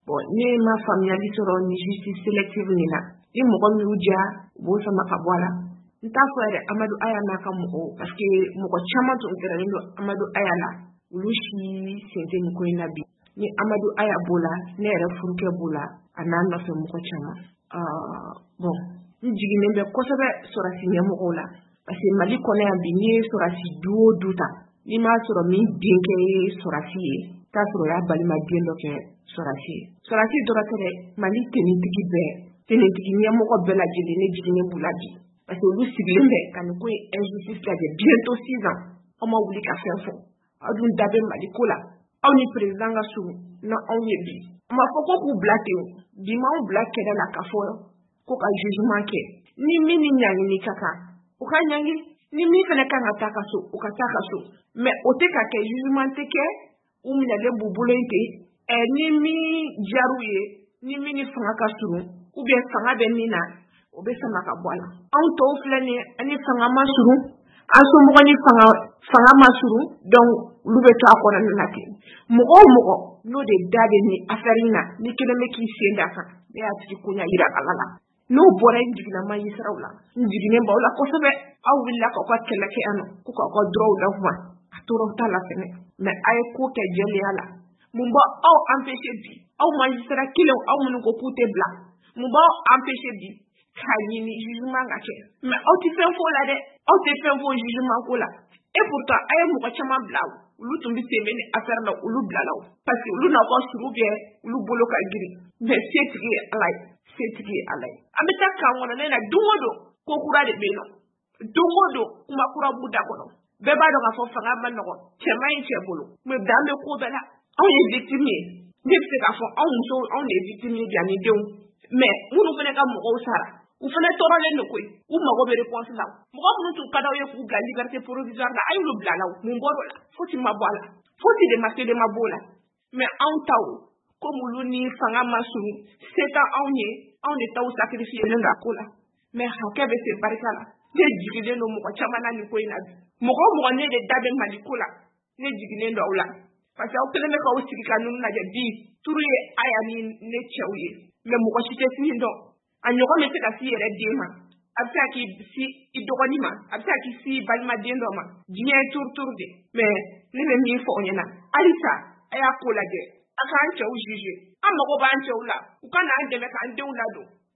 Bon, ne ma faamuyali sɔrɔ ni justice sélective nin na. Ni mɔgɔ min y'u diya, u b'o sama ka bɔ a la. N t'a fɔ yɛrɛ Amadu Aya n'a ka mɔgɔw, parce que mɔgɔ caman tun gɛrɛlen don Amadu Aya la, olu si sen tɛ nin ko in na bi. Ni Amadu Aya b'o la, ne yɛrɛ furukɛ b'o la, a n'a nɔfɛ mɔgɔ caman. Bon, n jiginnen bɛ kosɛbɛ sɔrɔsi ɲɛmɔgɔw la, parce que Mali kɔnɔ yan bi, n'i ye sɔrɔsi du o du ta, n'i m'a sɔrɔ min denkɛ ye sɔrɔsi ye, t'a sɔrɔ o y'a balimaden dɔ kɛ sɔrɔsi ye. Sɔrɔsi dɔrɔn tɛ dɛ, Mali tenitigi bɛɛ, tenitigi ɲɛmɔgɔ bɛɛ lajɛlen, ne jiginnen b'u la bi, parce que olu sigilen bɛ ka nin ko in injustice lajɛ bientôt 6 ans. Aw ma wuli ka fɛn fɔ, aw dun da bɛ Mali ko la. Aw ni président ka surun na anw ye bi. A ma fɔ ko k'u bila ten, bi m'anw bila kɛlɛ la k'a fɔ ko ka jugement kɛ. Ni min ni ɲangini ka kan, o ka ɲangi. Ni min fana kan ka taa ka so, o ka taa ka so. Mais o tɛ ka kɛ, jugement tɛ kɛ, u minɛlen b'u bolo yen ten. Ni min diyar'u ye, ni min ni fanga ka surun, ou bien fanga bɛ min na, o bɛ sama ka bɔ a la. Anw tɔw filɛ nin ye, ani fanga ma surun, an somɔgɔ ni fanga ma surun, donc olu bɛ to a kɔnɔna na ten. Mɔgɔ o mɔgɔ n'o de da bɛ nin affaire in na, ni kelen bɛ k'i sen da kan, ne y'a tigi ko ɲɛ yira Ala la. N'o bɔra, n jiginna magistrat la, n jiginnen b'aw la kosɛbɛ. Aw wulila k'aw ka kɛlɛ kɛ yan nɔ, ko k'aw ka droit d'aw ma, a tɔɔrɔ t'a la fɛnɛ, mais a ye ko kɛ jɛlenya la. Mun b'aw empêcher bi, aw magistrat kelenw, aw minnu ko k'u tɛ bila, mun b'aw empêcher bi k'a ɲini jugement ka kɛ? Mais aw tɛ fɛn fɔ o la dɛ, aw tɛ fɛn fɔ jugement ko la. Et pourtant a ye mɔgɔ caman bila, olu tun bɛ sen bɛ ni affaire la, olu bilala o, parce que olu n'aw ka surun bɛ, olu bolo ka girin. Mais setigi ye Ala ye, setigi ye Ala ye. An bɛ taa kan kɔnɔ ne na, don o don ko kura de bɛ yen nɔ, don o don kuma kura b'u da kɔnɔ. Bɛɛ b'a dɔn k'a fɔ fanga ma nɔgɔn, cɛ man ɲi cɛ bolo, mais dan bɛ ko bɛɛ la. Anw ye victime ye, ne bɛ se k'a fɔ anw musow, anw de ye victime ye bi ani denw. Mais minnu fana ka mɔgɔw sara, u fana tɔɔrɔlen don koyi, u mago bɛ réponse la. Mɔgɔ minnu tun ka d'aw ye k'u bila liberté provisoire la, a y'olu bila la, mun bɔr'o la? Fosi ma bɔ a la, fosi de ma se de ma b'o la. Mais anw taw, komi olu ni fanga ma surun, se tɛ anw ye, anw de taw sacrifié len don a ko la. Mais hakɛ bɛ se barika la. Ne jiginnen don mɔgɔ caman na nin ko in na bi. Mɔgɔ o mɔgɔ ne de da bɛ Mali ko la, ne jiginnen don aw la, parce que aw kɛlen bɛ k'aw sigi ka ninnu lajɛ bi. Turu ye Aya ni ne cɛw ye, mais mɔgɔ si tɛ sini dɔn. A ɲɔgɔn bɛ se ka s'i yɛrɛ den ma, a bɛ se ka k'i si i dɔgɔnin ma, a bɛ se ka k'i si balimaden dɔ ma. Diɲɛ ye turu turu de. Mais ne bɛ min fɔ aw ɲɛna halisa, a y'a ko lajɛ, a k'an cɛw juger. An mago b'an cɛw la, u ka n'an dɛmɛ k'an denw ladon.